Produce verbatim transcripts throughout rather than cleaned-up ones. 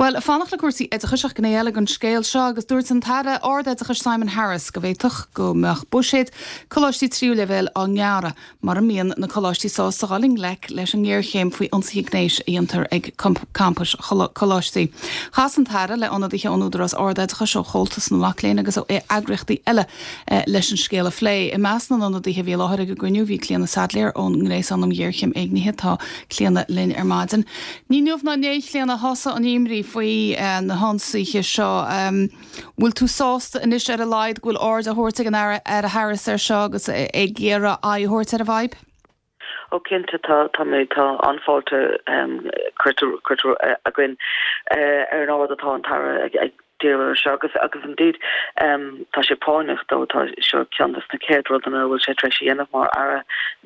Well, fanacht le cúrsaí oideachais ach gné eile den scéal seo agus dúirt an tAire Ardoideachais Simon Harris go bhféadfadh go mbeadh buiséad coláistí tríú leibhéal á ngearradh mura mbíonn na coláistí sásta dul i ngleic leis an ngéarchéim faoi ionsaithe gnéis a dhéantar ag campais coláistí. Chas an tAire le ionadaithe ón Údarás Ardoideachais ó Chomhaltas na Mac Léinn agus ó eagraíochtaí eile eh, leis an scéal a phlé. I measc na n-ionadaithe a bhí i láthair ag an gcruinniú bhí Clíona Saidléar ón nGréasán um Ghéarchéim Éignithe tá Clíona linn ar maidin. Ní inniu ná inné Clíona thosaigh an imní faoi uh, na hionsaithe seo. Um, bhfuil tú sásta anois ar a laghad go bhfuil aird á thabhairt ag an Aire Harris ar seo agus ag iarraidh aghaidh a thabhairt ar an bhfadhb? Ó cinnte tá tá mé tá an-fháilte curtha againn ar an aird atá an tAire ag ag díriú seo agus agus indeed um, tá sé práinneach dó tá seo ceann de na chéad rudaí a bhfuil sé tar éis a dhéanamh mar aire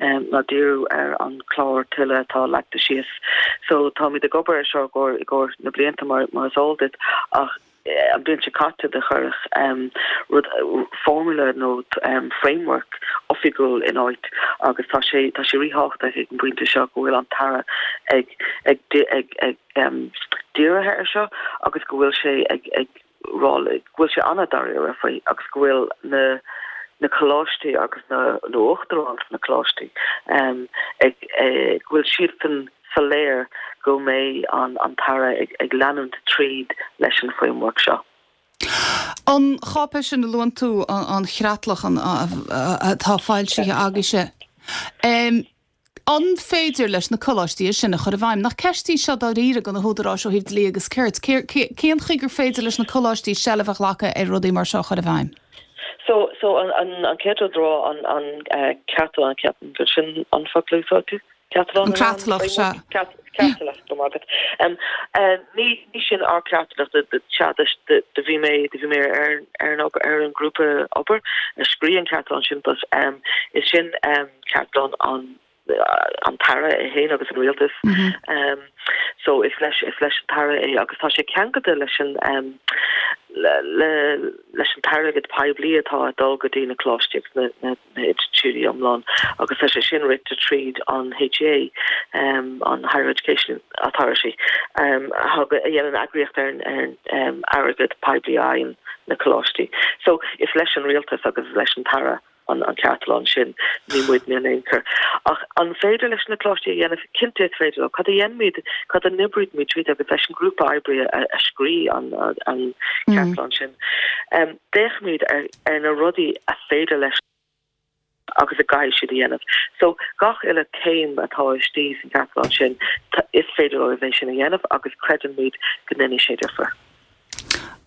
um, ná díriú ar an chlár tuile atá leagtha síos. So táimid ag obair seo go i gcomhair na blianta mar mar is eol duit ach an bhliain seo caite do chuireadh um, rud formula nó um, framework oifigiúil in áit agus tá sé tá sé ríthábhachtach ag an bpointe seo go bhfuil an tAire ag ag ag ag um, dírithe ar seo agus go bhfuil sé ag ag rá go bhfuil sé an-dáiríre faoi agus go bhfuil na na coláistí agus na na uachtaráin na coláistí um, ag ag go bhfuil siad soiléir go mbeidh an an tAire ag, ag leanúint tríd leis an framework seo. An cháipéis sin a luann tú an chreatlach atá foilsithe agaibhse. Um, An féidir leis na coláistí sin a chur i bhfeidhm nach ceist í seo dáiríre do na húdaráis ó thaobh dlí agus cirt, cén chaoi gur féidir leis na coláistí seilbh a ghlacadh ar rudaí mar seo chur i bhfeidhm? So so an an an chéad rud an an uh, ceatal an ceapan gur sin an focal tú? Creatlach se. Creatlach go maith. Um, uh, ní ní sin ár creatlach de bhí mé de bhí mé ar ar an ar an grúpa obair a scríobh an ceatlán sin but um, is sin um, ceatlán an an tAire é féin agus an rialtas mm -hmm. um, so is leis is leis an tAire é agus tá sé ceangailte leis an um, le, le, leis an t-airgead poiblí atá ag dul go dtí na coláistí na, na, na institiúidí iomlán agus tá sé sin rite tríd an HEA um, an Higher Education Authority um, a dhéanann eagraíocht ar ar um, airgead poiblí an na coláistí. So is leis an rialtas agus leis an tAire an an ceatlán sin ní muidne in aon chor. Ach an féidir leis na coláistí a dhéanamh cinnte is féidir cad a dhéanaimid cad a n-oibrímid tríd agus leis an grúpa oibre a, a scríobh an an ceatlán mm. sin. Um, D'fhéachamaid ar, ar na rudaí a féidir leis agus a gcaithfidh siad a dhéanamh. So gach uile céim atá istigh san ceatlán sin is féidir leo é sin a dhéanamh agus creidimid go ndéanfaidh sé difear.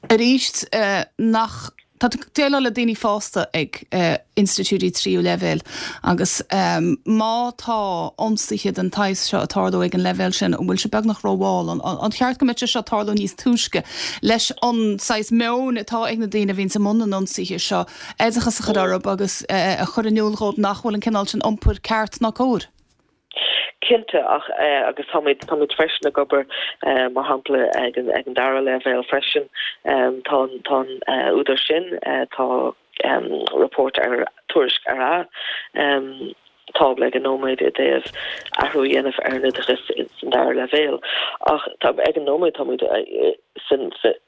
Arís uh, nach Tá déileáil le daoine fásta ag uh, institiúidí tríú leibhéal agus um, má tá ionsaithe den tsaghas seo ag tarlú ag an leibhéal sin an bhfuil sé beagnach rómhall an, an cheart go mbeadh seo tarlú níos túisce leis an saghas meon atá ag na daoine a bhíonn i mbun na n-ionsaithe seo oideachas a chur orthu agus uh, a chur in iúl dóibh nach bhfuil an cineál sin iompair ceart ná cóir. Cinnte ach uh, agus táimid táimid freisin ag obair uh, mar shampla ag an ag an dara leibhéal freisin um, tá tá uh, údar sin uh, tá um, report ar tuairisc ar a um, tábla ag an nóiméad i dtaobh athrú a dhéanamh ar an oideachas san dara leibhéal ach tá ag an nóiméad táimid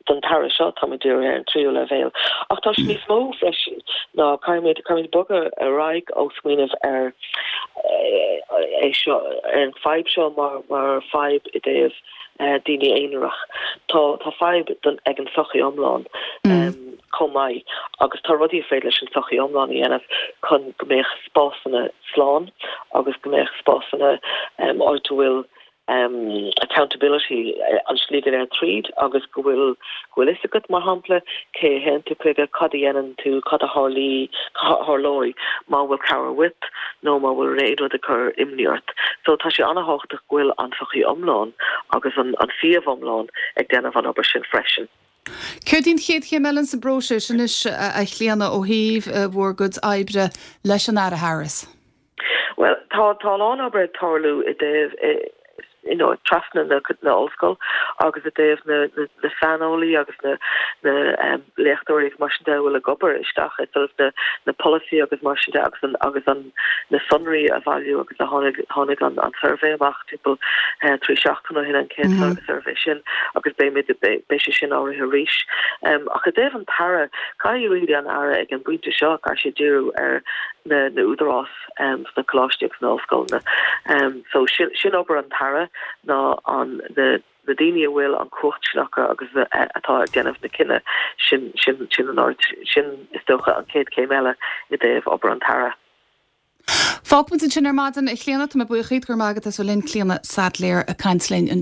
don tAire seo táimid ar an tríú leibhéal ach tá níos mó freisin ná caithfimid caithfimid bogadh ar aghaidh ó smaoineamh ar é seo ar an fadhb seo mar mar fadhb i dtaobh daoine aonarach tá tá fadhb don ag an sochaí iomlán mm. um, chomh maith agus tá rudaí féidir leis an sochaí iomlán a dhéanamh chun go mbeadh spásanna slán agus go mbeadh spásanna um, áit a bhfuil um, accountability an slí go léir tríd agus go bhfuil go bhfuil fhios agat mar shampla cé théann tú chuige cad a dhéanann tú cad a tharlaí tharlóidh má bhfuil cabhair uait nó má bhfuil aon rud ag cur imní ort. So tá sé an-tábhachtach go bhfuil an sochaí iomlán agus an, an suíomh iomlán ag déanamh an obair sin freisin. Céard í an chéad chéim eile sa bpróiseas anois a Chlíona ó thaobh bhur gcuid oibre leis an Aire Harris. Well tá tá an obair ag tarlú i dtaobh you know, trasna na na ollscoil agus i dtaobh na, na, na saineolaí agus na, na léachtóirí agus mar sin de a bhfuil ag obair isteach i sort of na na polasaí agus mar sin de agus an agus an na sonraí a bhailiú agus a tháinig tháinig an an suirbhé amach timpeall eh, trí seachtain ó shin an chéad mm -hmm. suirbhé sin agus beidh beidh sé sin á rith arís. Um, ach i dtaobh an tAire caithfidh really an Aire ag an bpointe seo caithfidh sé díriú ar na na údarás um, sna coláistí agus na ollscoileanna. Um, so sin, sin obair an tAire ná an na na daoine a bhfuil an chumhacht sin acu agus atá ag déanamh na cinneadh sin sin sin an ord sin is dócha an chéad chéim eile i dtaobh obair an tAire. Fágfaimid sin ar maidin a Chlíona tá mé buíoch go maith as linn Clíona Saidléar ag caint linn an